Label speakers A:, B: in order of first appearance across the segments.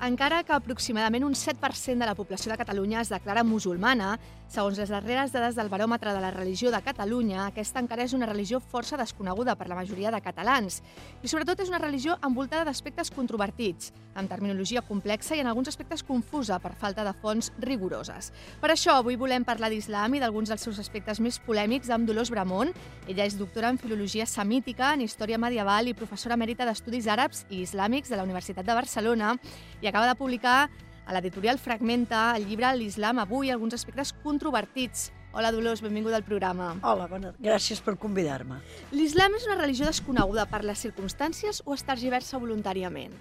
A: Encara que aproximadament un 7% de la població de Catalunya es declara musulmana, segons les darreres dades del Baròmetre de la Religió de Catalunya, aquesta encara és una religió força desconeguda per la majoria de catalans. I sobretot és una religió envoltada d'aspectes controvertits, amb terminologia complexa i en alguns aspectes confusa per falta de fonts rigoroses. Per això, avui volem parlar d'islam i d'alguns dels seus aspectes més polèmics amb Dolors Bramont. Ella és doctora en Filologia Semítica, en Història Medieval i professora emèrita d'Estudis Àrabs i Islàmics de la Universitat de Barcelona i acaba de publicar a l'editorial Fragmenta el llibre L'Islam avui, alguns aspectes controvertits. Hola, Dolors, benvinguda al programa.
B: Hola, gràcies per convidar-me.
A: L'islam és una religió desconeguda per les circumstàncies o es tergiversa voluntàriament?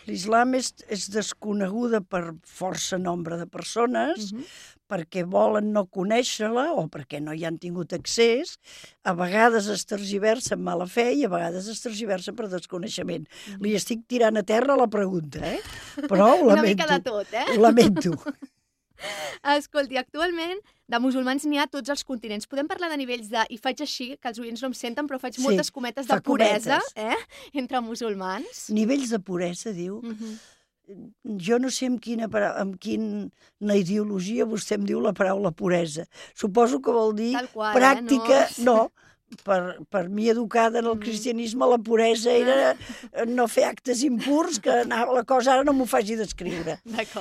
B: L'islam és desconeguda per força nombre de persones, perquè volen no conèixer-la o perquè no hi han tingut accés. A vegades es tergiversa amb mala fe i a vegades es tergiversa per desconeixement. Li estic tirant a terra la pregunta, però ho lamento.
A: Una mica de tot,
B: Ho lamento.
A: Escolti, actualment de musulmans n'hi ha a tots els continents. Podem parlar de nivells de, i faig així, que els oients no em senten, però faig moltes cometes de puresa entre musulmans?
B: Nivells de puresa, diu. Jo no sé amb quina ideologia vostè em diu la paraula puresa. Suposo que vol dir pràctica... No, per mi educada en el cristianisme la puresa era no fer actes impurs, que la cosa ara no m'ho faci descriure.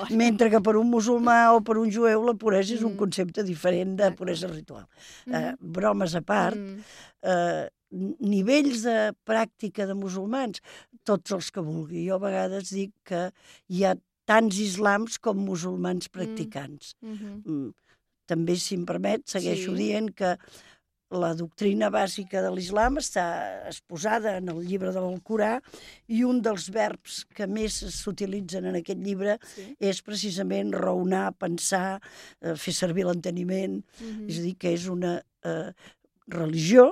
B: Mentre que per un musulmà o per un jueu la puresa és un concepte diferent de puresa ritual. Bromes a part, nivells de pràctica de musulmans, tots els que vulgui. Jo a vegades dic que hi ha tants islams com musulmans practicants. També, si em permet, segueixo dient que la doctrina bàsica de l'islam està exposada en el llibre de l'Alcorà i un dels verbs que més s'utilitzen en aquest llibre és precisament raonar, pensar, fer servir l'enteniment. És a dir, que és una religió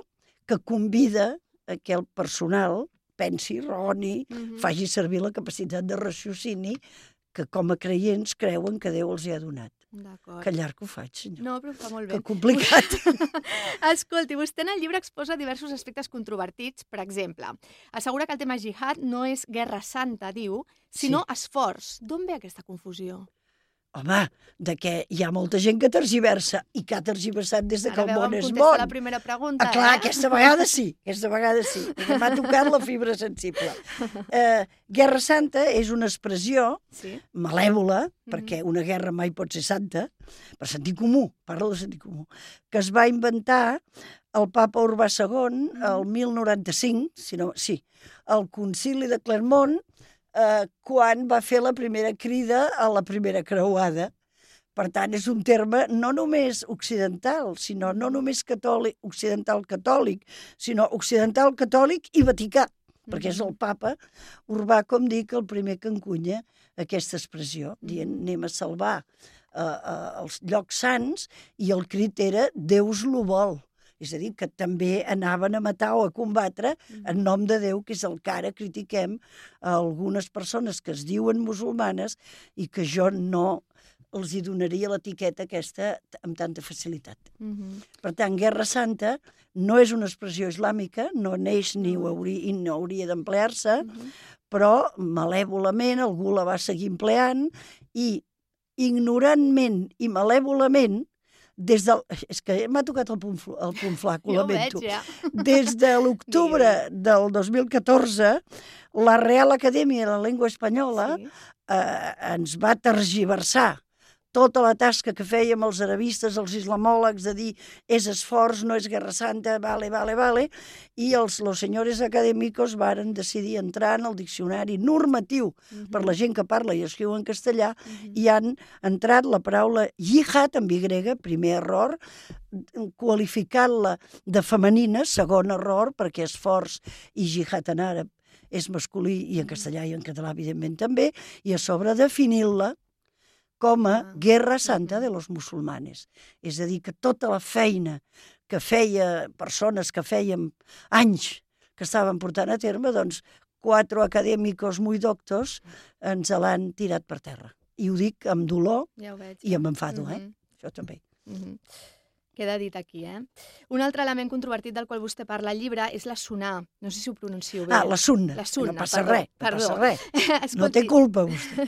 B: que convida a que el personal pensi, raoni, faci servir la capacitat de raciocini que com a creients creuen que Déu els hi ha donat. Que llarg ho faig, senyor.
A: No, però fa molt bé.
B: Que complicat.
A: Escolti, vostè en el llibre exposa diversos aspectes controvertits. Per exemple, assegura que el tema jihad no és guerra santa, diu, sinó esforç. D'on ve aquesta confusió?
B: Home, que hi ha molta gent que tergiversa i que ha tergiversat des que el món és món.
A: Ara veu em la primera pregunta,
B: clar, aquesta vegada sí. M'ha tocat la fibra sensible. Guerra santa és una expressió malèvola, perquè una guerra mai pot ser santa, per sentit comú, parlo de sentit comú, que es va inventar el papa Urbà II el 1095, al concili de Clermont, quan va fer la primera crida a la primera creuada. Per tant, és un terme no només occidental, sinó no només occidental catòlic, sinó occidental catòlic i vaticà, perquè és el papa Urbà, com dic, el primer que encunya aquesta expressió, dient anem a salvar els llocs sants, i el crit era Deus lo vol. És a dir, que també anaven a matar o a combatre en nom de Déu, que és el que ara critiquem a algunes persones que es diuen musulmanes i que jo no els hi donaria l'etiqueta aquesta amb tanta facilitat. Per tant, Guerra Santa no és una expressió islàmica, no neix ni no hauria d'emplear-se, però malèvolament algú la va seguir empleant i ignorantment i malèvolament és que m'ha tocat el punt flac, ho lamento. Des de l'octubre del 2014, la Real Acadèmia de la Llengua Espanyola ens va tergiversar tota la tasca que fèiem els arabistes, els islamòlegs, de dir és esforç, no és guerra santa, vale, i els senyors acadèmicos varen decidir entrar en el diccionari normatiu per la gent que parla i escriu en castellà i han entrat la paraula jihad, amb Y, primer error, qualificant-la de femenina, segon error, perquè esforç i jihad en àrab és masculí i en castellà i en català, evidentment, també, i a sobre definint-la com a Guerra Santa de los musulmanes. És a dir, que tota la feina que feia persones que fèiem anys que estaven portant a terme, doncs 4 acadèmicos muy doctos ens l'han tirat per terra. I ho dic amb dolor i amb enfado, això també.
A: Queda dit aquí, Un altre element controvertit del qual vostè parla al llibre és la sunnà. No sé si ho pronuncio bé.
B: La sunna.
A: No
B: passa res,
A: perdó.
B: no passa res. No té culpa, vostè.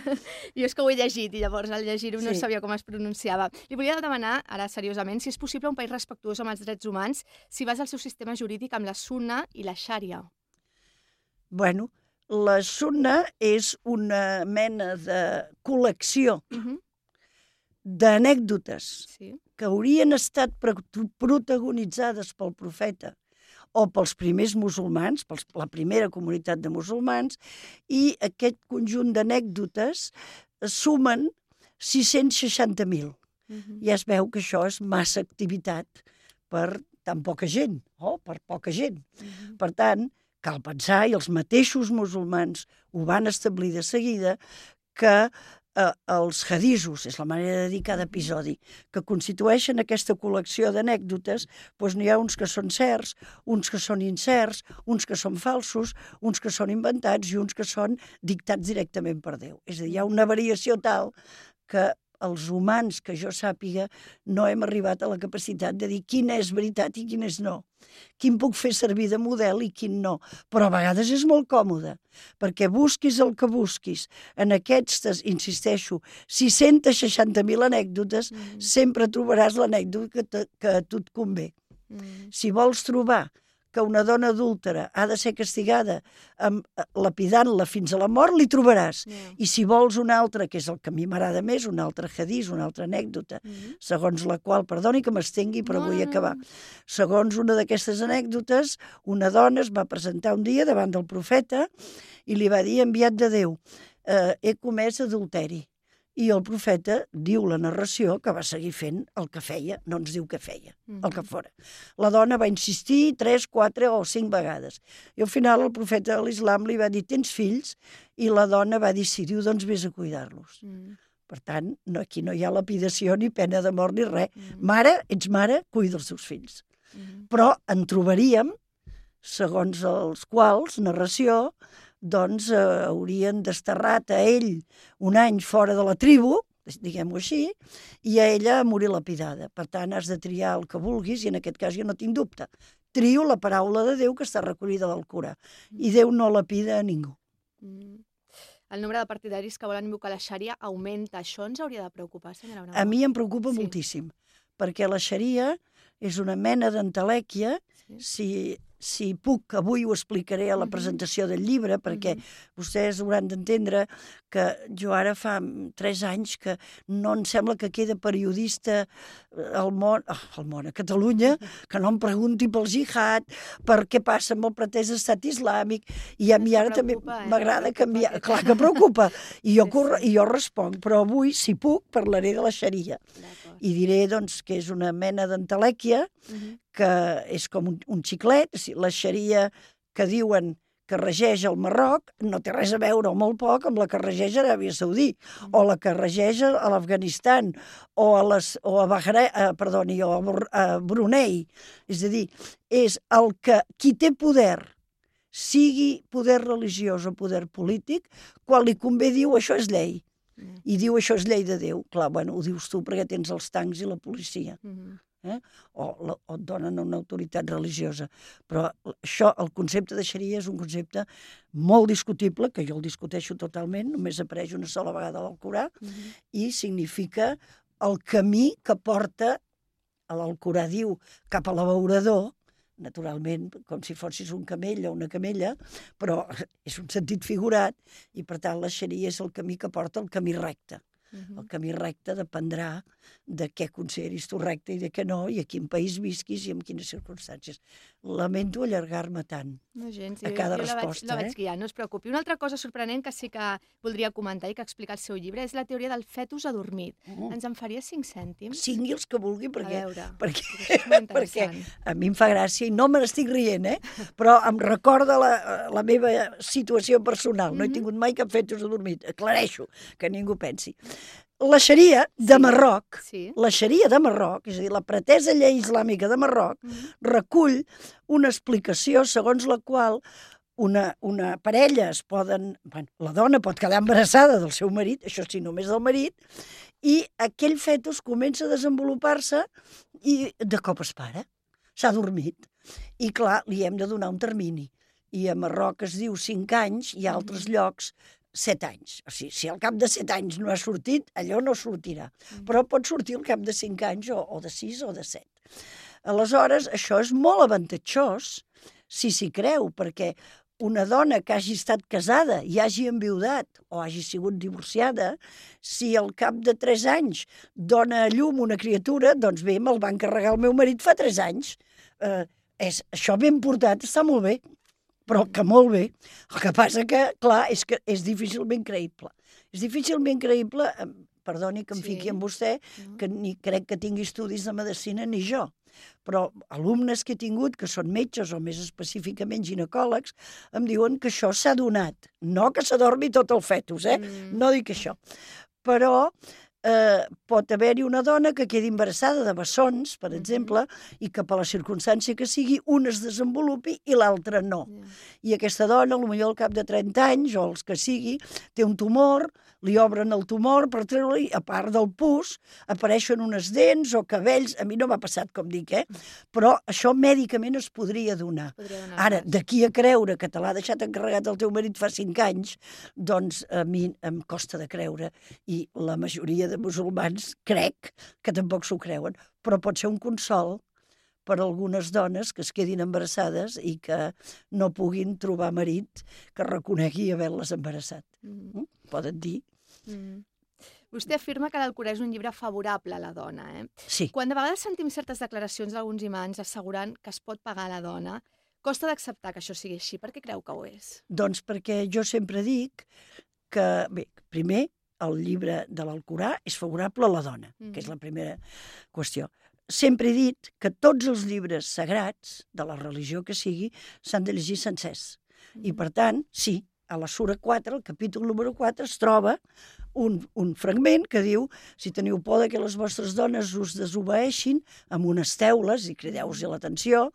A: Jo és que ho he llegit i llavors al llegir-ho no sabia com es pronunciava. Li volia demanar, ara seriosament, si és possible un país respectuós amb els drets humans si basa el seu sistema jurídic amb la sunna i la xària.
B: Bueno, la sunna és una mena de col·lecció d'anècdotes que haurien estat protagonitzades pel profeta o pels primers musulmans, per la primera comunitat de musulmans, i aquest conjunt d'anècdotes sumen 660.000. Ja es veu que això és massa activitat per tan poca gent, o per poca gent. Per tant, cal pensar, i els mateixos musulmans ho van establir de seguida, que els hadisos, és la manera de dir cada episodi, que constitueixen aquesta col·lecció d'anècdotes, doncs n'hi ha uns que són certs, uns que són incerts, uns que són falsos, uns que són inventats i uns que són dictats directament per Déu. És a dir, hi ha una variació tal que els humans, que jo sàpiga, no hem arribat a la capacitat de dir quina és veritat i quina és no. Quin puc fer servir de model i quin no. Però a vegades és molt còmode, perquè busquis el que busquis. En aquestes, insisteixo, 660.000 anècdotes, sempre trobaràs l'anècdota que a tu et convé. Si vols trobar que una dona adúltera ha de ser castigada lapidant-la fins a la mort, li trobaràs. I si vols una altra, que és el que a mi m'agrada més, un altre hadís, una altra anècdota, segons la qual, perdoni que m'estengui, però vull acabar. Segons una d'aquestes anècdotes, una dona es va presentar un dia davant del profeta i li va dir, enviat de Déu, he comès adulteri. I el profeta diu la narració que va seguir fent el que feia, no ens diu què feia, el que fora. La dona va insistir 3, 4 o 5 vegades. I al final el profeta de l'Islam li va dir, tens fills? I la dona va dir, sí, diu, doncs vés a cuidar-los. Per tant, aquí no hi ha lapidació, ni pena de mort, ni res. Mare, ets mare, cuida els teus fills. Però en trobaríem, segons els quals, narració, doncs haurien desterrat a ell un any fora de la tribu, diguem-ho així, i a ella a morir lapidada. Per tant, has de triar el que vulguis, i en aquest cas jo no tinc dubte. Trio la paraula de Déu que està recollida al Corà, i Déu no lapida a ningú.
A: El nombre de partidaris que volen invocar la xària augmenta. Això ens hauria de preocupar, senyora Bravo?
B: A mi em preocupa moltíssim, perquè la xària és una mena d'entelèquia, si puc, avui ho explicaré a la presentació del llibre, perquè vostès hauran d'entendre que jo ara fa 3 anys que no em sembla que queda periodista al món, a Catalunya, que no em pregunti pel jihad, per què passa amb el pretès estat islàmic, i a mi ara també m'agrada canviar. Clar que preocupa, i jo responc, però avui, si puc, parlaré de la xaria. I diré, doncs, que és una mena d'entelèquia, que és com un xiclet, la xaria que diuen que regeix el Marroc no té res a veure, o molt poc, amb la que regeix a Aràbia Saudí, o la que regeix a l'Afganistan, o a Brunei. És a dir, és el que qui té poder, sigui poder religiós o poder polític, quan li convé diu això és llei. I diu això és llei de Déu. Clar, bueno, ho dius tu perquè tens els tancs i la policia. O et donen una autoritat religiosa. Però això, el concepte de xaria és un concepte molt discutible, que jo el discuteixo totalment, només apareix una sola vegada al Corà, i significa el camí que porta, l'Alcorà diu, cap a l'abeurador, naturalment, com si fossis un camell o una camella, però és un sentit figurat, i per tant la xaria és el camí que porta el camí recte. El camí recte dependrà de què consideris tu recte i de què no, i a quin país visquis i en quines circumstàncies. Lamento allargar-me tant a cada resposta.
A: La veig guiar, no es preocupi. Una altra cosa sorprenent que sí que voldria comentar i que explica el seu llibre és la teoria del fetus adormit. Ens en faria 5 cèntims?
B: Cingui els que vulgui, perquè a mi em fa gràcia i no me n'estic rient, però em recorda la meva situació personal. No he tingut mai cap fetus adormit. Aclareixo, que ningú pensi. La xaria de Marroc, és a dir, la pretesa llei islàmica de Marroc, recull una explicació segons la qual una parella la dona pot quedar embarassada del seu marit, això sí, només del marit, i aquell fetus comença a desenvolupar-se i de cop es para. S'ha dormit. I clar, li hem de donar un termini. I a Marroc es diu 5 anys i a altres llocs 7 anys. O sigui, si al cap de 7 anys no ha sortit, allò no sortirà. Però pot sortir al cap de 5 anys o de 6 o de 7. Aleshores, això és molt avantatjós si s'hi creu, perquè una dona que hagi estat casada i hagi enviudat o hagi sigut divorciada, si al cap de 3 anys dona a llum una criatura, doncs bé, me'l va encarregar el meu marit fa 3 anys. Això ben portat està molt bé, però que molt bé. El que passa que, clar, que és difícilment creïble. És difícilment creïble, perdoni que em fiqui amb vostè, que ni crec que tingui estudis de medicina ni jo, però alumnes que he tingut, que són metges o més específicament ginecòlegs, em diuen que això s'ha donat. No que s'adormi tot el fetus, no dic això. Però pot haver-hi una dona que quedi embarassada de bessons, per exemple, i que per la circumstància que sigui, un es desenvolupi i l'altre no. I aquesta dona, potser al cap de 30 anys, o els que sigui, té un tumor, li obren el tumor per treure-li, a part del pus, apareixen unes dents o cabells, a mi no m'ha passat, com dic, però això mèdicament es podria donar. Ara, d'aquí a creure que te l'ha deixat encarregat el teu marit fa 5 anys, doncs a mi em costa de creure, i la majoria de musulmans crec que tampoc s'ho creuen, però pot ser un consol per a algunes dones que es quedin embarassades i que no puguin trobar marit que reconegui haver-les embarassat. Poden dir.
A: Vostè afirma que l'Alcorà és un llibre favorable a la dona.
B: Sí.
A: Quan de vegades sentim certes declaracions d'alguns imams assegurant que es pot pagar a la dona, costa d'acceptar que això sigui així. Per què creu que ho és?
B: Doncs perquè jo sempre dic que, bé, primer, el llibre de l'Alcorà és favorable a la dona, que és la primera qüestió. Sempre he dit que tots els llibres sagrats, de la religió que sigui, s'han de llegir sencers. I, per tant, sí, a la sura 4, el capítol número 4, es troba un fragment que diu: si teniu por que les vostres dones us desobeeixin amb unes teules, i crideu-los l'atenció,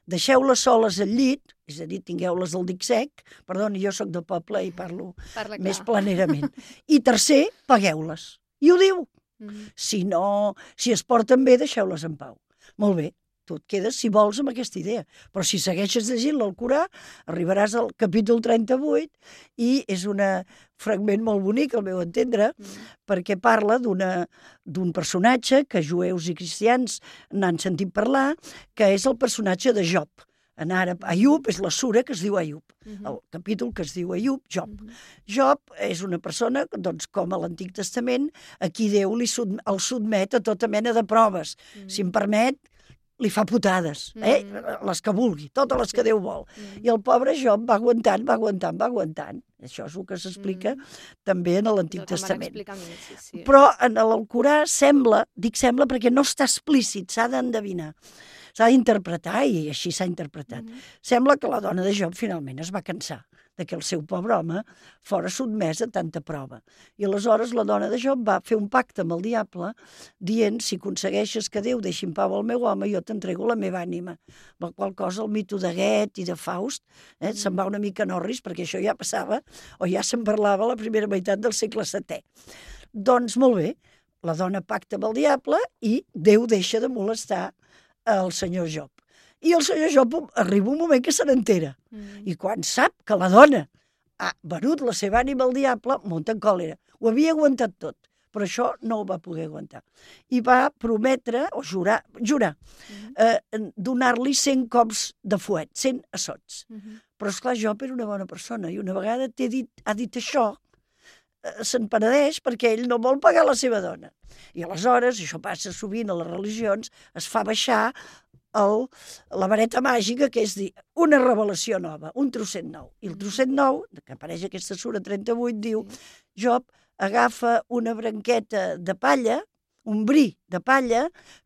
B: deixeu-les soles al llit, és a dir, tingueu-les al dic sec, perdoni, jo sóc de poble i parlo més planerament, i tercer, pagueu-les. I ho diu. Si es porten bé, deixeu-les en pau. Molt bé, tu et quedes, si vols, amb aquesta idea. Però si segueixes llegint l'Alcorà, arribaràs al capítol 38 i és un fragment molt bonic, al meu entendre, perquè parla d'un personatge que jueus i cristians n'han sentit parlar, que és el personatge de Job. En àrab, Ayub és la sura que es diu Ayub, el capítol que es diu Ayub, Job. Job és una persona, doncs, com a l'Antic Testament, a qui Déu el sotmet a tota mena de proves. Si em permet, li fa putades, les que vulgui, totes les que Déu vol. I el pobre Job va aguantant. Això és el que s'explica també en l'Antic Testament. Però en l'Alcorà sembla perquè no està explícit, s'ha d'endevinar. S'ha d'interpretar, i així s'ha interpretat. Sembla que la dona de Job finalment es va cansar de que el seu pobre home fora sotmès a tanta prova. I aleshores la dona de Job va fer un pacte amb el diable dient: si aconsegueixes que Déu deixi en pau el meu home, jo t'entrego la meva ànima. La qual cosa el mito de Goethe i de Faust se'n va una mica en orris, perquè això ja passava, o ja se'n parlava a la primera meitat del segle VII. Doncs molt bé, la dona pacta amb el diable i Déu deixa de molestar el senyor Job. I el senyor Job arriba un moment que se n'entera. I quan sap que la dona ha venut la seva ànima al diable, munta en còlera. Ho havia aguantat tot, però això no ho va poder aguantar. I va prometre, o jurar, donar-li 100 cops de fuet, 100 assots. Però, esclar, Job era una bona persona, i una vegada ha dit això, se'n penedeix perquè ell no vol pagar la seva dona. I aleshores, això passa sovint a les religions, es fa baixar la vareta màgica, que és dir, una revelació nova, un trosset nou. I el trosset nou, que apareix a aquesta sura 38, diu: Job agafa una branqueta de palla, un bri de palla,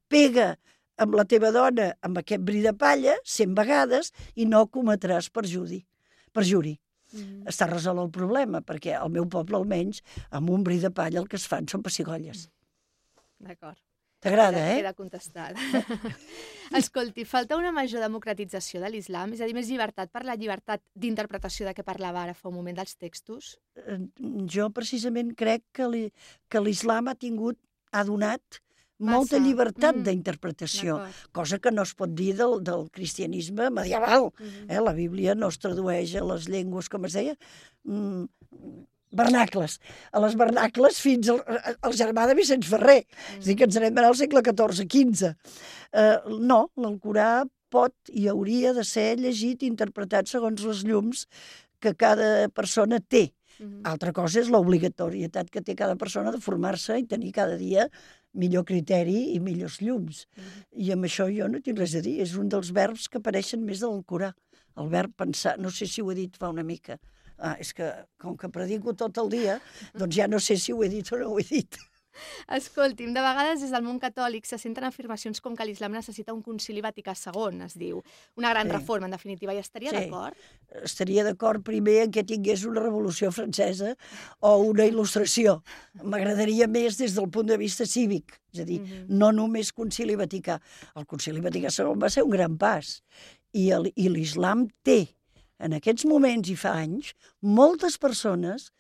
B: pega amb la teva dona amb aquest bri de palla 100 vegades i no cometràs perjuri. Està resolt el problema, perquè al meu poble, almenys, amb un bri de palla el que es fan són pessigolles.
A: D'acord.
B: T'agrada,
A: Queda contestat. Escolti, falta una major democratització de l'islam? És a dir, més llibertat per la llibertat d'interpretació de què parlava ara fa un moment dels textos?
B: Jo precisament crec que l'islam ha tingut ha donat molta llibertat d'interpretació, cosa que no es pot dir del cristianisme medieval. La Bíblia no es tradueix a les llengües, com es deia, vernacles. A les vernacles fins al germà de Vicenç Ferrer. És a dir, que ens anem al segle XIV-XV. No, l'Alcorà pot i hauria de ser llegit i interpretat segons les llums que cada persona té. Altra cosa és l'obligatorietat que té cada persona de formar-se i tenir cada dia millor criteri i millors llums. I amb això jo no tinc res a dir. És un dels verbs que apareixen més de l'Alcorà. El verb pensar. No sé si ho he dit fa una mica. És que, com que predico tot el dia, doncs ja no sé si ho he dit o no ho he dit.
A: Escolti'm, de vegades des del món catòlic se senten afirmacions com que l'islam necessita un concili Vaticà II, es diu. Una gran reforma, en definitiva. I estaria d'acord?
B: Estaria d'acord primer en què tingués una revolució francesa o una il·lustració. M'agradaria més des del punt de vista cívic, és a dir, no només concili Vaticà. El concili Vaticà II va ser un gran pas. I l'islam té, en aquests moments i fa anys, moltes persones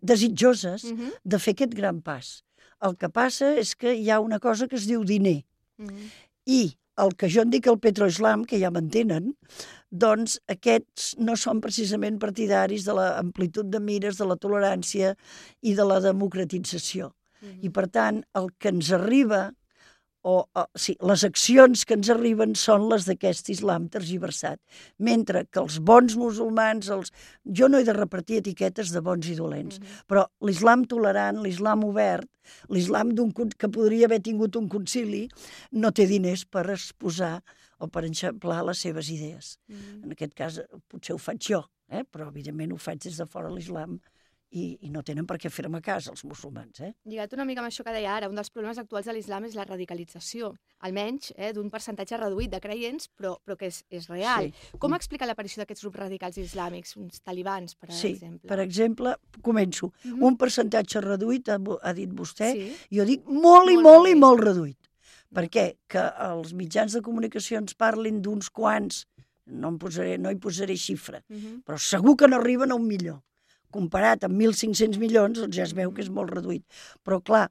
B: desitjoses de fer aquest gran pas. El que passa és que hi ha una cosa que es diu diner. I el que jo en dic el petroislam, que ja m'entenen, doncs aquests no són precisament partidaris de l'amplitud de mires, de la tolerància i de la democratització. I per tant, el que ens arriba, les accions que ens arriben són les d'aquest islam tergiversat. Mentre que els bons musulmans, jo no he de repartir etiquetes de bons i dolents, però l'islam tolerant, l'islam obert, l'islam que podria haver tingut un concili, no té diners per exposar o per enxamplar les seves idees. En aquest cas, potser ho faig jo, però evidentment ho faig des de fora l'islam, i no tenen per què fer-me cas, els musulmans.
A: Lligat una mica amb això que deia ara, un dels problemes actuals de l'islam és la radicalització, almenys d'un percentatge reduït de creients, però que és real. Com explica l'aparició d'aquests grups radicals islàmics, uns talibans, per exemple?
B: Sí, per exemple, començo. Un percentatge reduït, ha dit vostè, jo dic molt i molt i molt reduït. Per què? Que els mitjans de comunicació ens parlin d'uns quants, no hi posaré xifra, però segur que no arriben a 1 milió. Comparat amb 1.500 milions, doncs ja es veu que és molt reduït. Però, clar,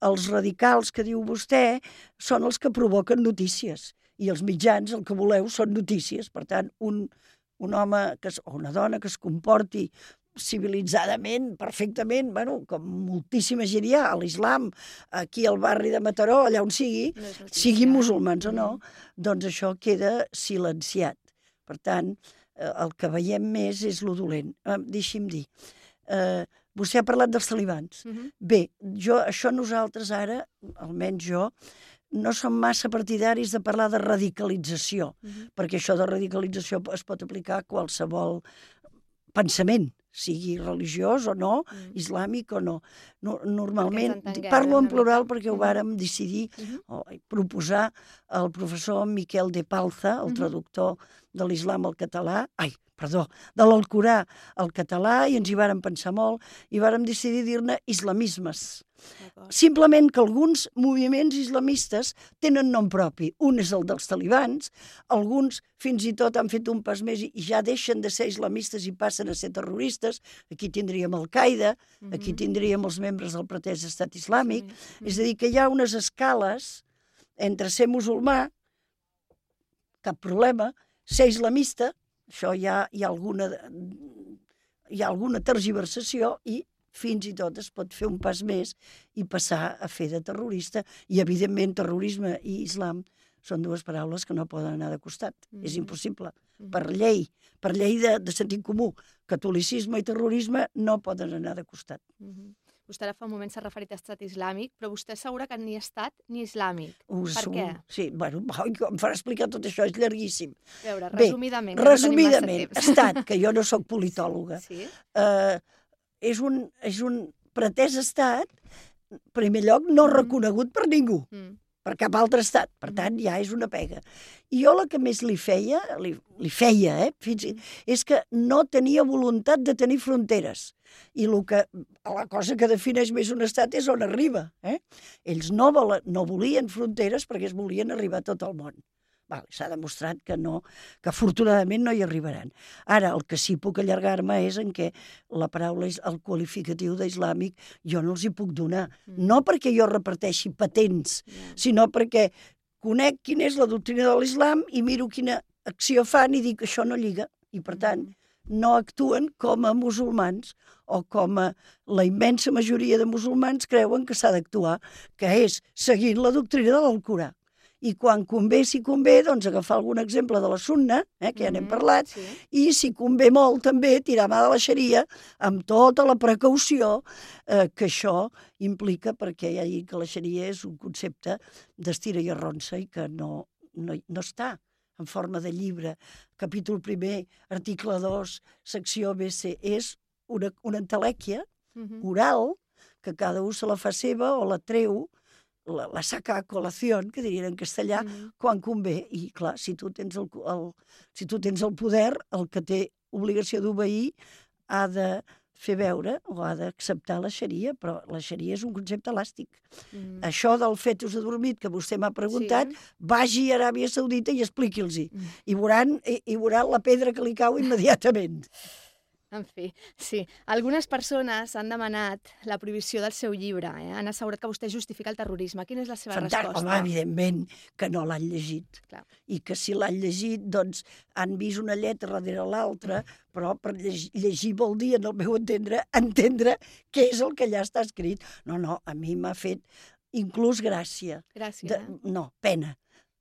B: els radicals que diu vostè són els que provoquen notícies. I els mitjans, el que voleu, són notícies. Per tant, un home o una dona que es comporti civilitzadament, perfectament, com moltíssima gent hi ha, a l'islam, aquí al barri de Mataró, allà on siguin musulmans o no, doncs això queda silenciat. Per tant, el que veiem més és lo dolent. Deixi'm dir, vostè ha parlat dels talibans. Bé, això nosaltres ara, almenys jo, no som massa partidaris de parlar de radicalització, perquè això de radicalització es pot aplicar a qualsevol pensament, sigui religiós o no, islàmic o no. Normalment, parlo en plural perquè ho vàrem decidir proposar al professor Miquel de Palza, el traductor de l'islam al català, de l'Alcorà al català, i ens hi vàrem pensar molt, i vàrem decidir dir-ne islamismes. Simplement que alguns moviments islamistes tenen nom propi. Un és el dels talibans, alguns fins i tot han fet un pas més i ja deixen de ser islamistes i passen a ser terroristes. Aquí tindríem Al-Qaeda, aquí tindríem els membres del pretès estat islàmic. És a dir, que hi ha unes escales entre ser musulmà, cap problema, ser islamista, això hi ha alguna tergiversació i fins i tot es pot fer un pas més i passar a fer de terrorista. I, evidentment, terrorisme i islam són dues paraules que no poden anar de costat. És impossible. Per llei de sentit comú, catolicisme i terrorisme no poden anar de costat.
A: Vostè ara fa un moment s'ha referit a estat islàmic, però vostè assegura que ni estat ni islàmic. Per què?
B: Sí, em farà explicar tot això, és llarguíssim.
A: A veure, resumidament,
B: que no tenim massa temps. Estat, que jo no sóc politòloga, és un pretès estat, en primer lloc, no reconegut per ningú, per cap altre estat. Per tant, ja és una pega. I jo la que més li feia, és que no tenia voluntat de tenir fronteres. I la cosa que defineix més un estat és on arriba. Ells no volien fronteres perquè es volien arribar a tot el món. S'ha demostrat que no, que afortunadament no hi arribaran. Ara, el que sí puc allargar-me és en què la paraula, el qualificatiu d'islàmic, jo no els hi puc donar. No perquè jo reparteixi patents, sinó perquè conec quina és la doctrina de l'islam i miro quina acció fan i dic que això no lliga. I, per tant, no actuen com a musulmans o com a la immensa majoria de musulmans creuen que s'ha d'actuar, que és seguint la doctrina de l'Alcorà. I quan convé, si convé, doncs agafar algun exemple de la sunna, que ja n'hem parlat, i si convé molt també tirar mà de la xaria amb tota la precaució que això implica, perquè ja dic que la xaria és un concepte d'estira i arronsa i que no està en forma de llibre, capítol 1, article 2, secció BC, és una entelèquia oral que cada un se la fa seva o la treu, la saca a col·lació, que dirien en castellà, quan convé. I, clar, si tu tens el poder, el que té obligació d'obeir ha de fer veure o ha d'acceptar la xaria, però la xaria és un concepte elàstic. Això del fetus adormit que vostè m'ha preguntat, vagi a Aràbia Saudita i expliqui'ls-hi. I veuran la pedra que li cau immediatament.
A: En fi, sí. Algunes persones han demanat la prohibició del seu llibre. Han assegurat que vostè justifica el terrorisme. Quina és la seva resposta?
B: Home, evidentment que no l'han llegit.
A: Clar.
B: I que si l'han llegit, doncs han vist una lletra darrere l'altra, però per llegir vol dir, en el meu entendre què és el que allà està escrit. No, a mi m'ha fet inclús gràcia.
A: Gràcia,
B: No, pena.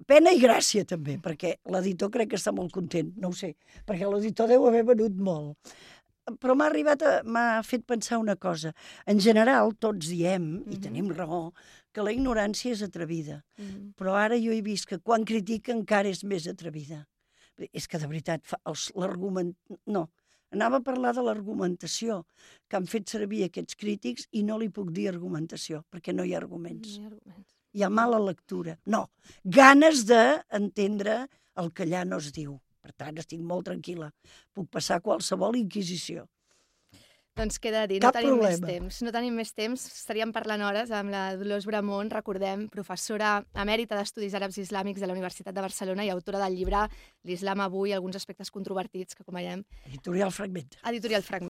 B: Pena i gràcia, també, perquè l'editor crec que està molt content, no ho sé, perquè l'editor deu haver venut molt. Però m'ha fet pensar una cosa. En general, tots diem, i tenim raó, que la ignorància és atrevida. Però ara jo he vist que quan critica encara és més atrevida. És que, de veritat, anava a parlar de l'argumentació que han fet servir aquests crítics i no li puc dir argumentació, perquè no hi ha arguments. Hi ha mala lectura. No, ganes d'entendre el que allà no es diu. Per tant, estic molt tranquil·la. Puc passar qualsevol inquisició.
A: Doncs queda dit, no tenim més temps. No tenim més temps, estaríem parlant hores amb la Dolors Bramont, recordem, professora emèrita d'Estudis Àrabs i Islàmics de la Universitat de Barcelona i autora del llibre L'Islam avui, alguns aspectes controvertits, que com veiem...
B: Editorial Fragment.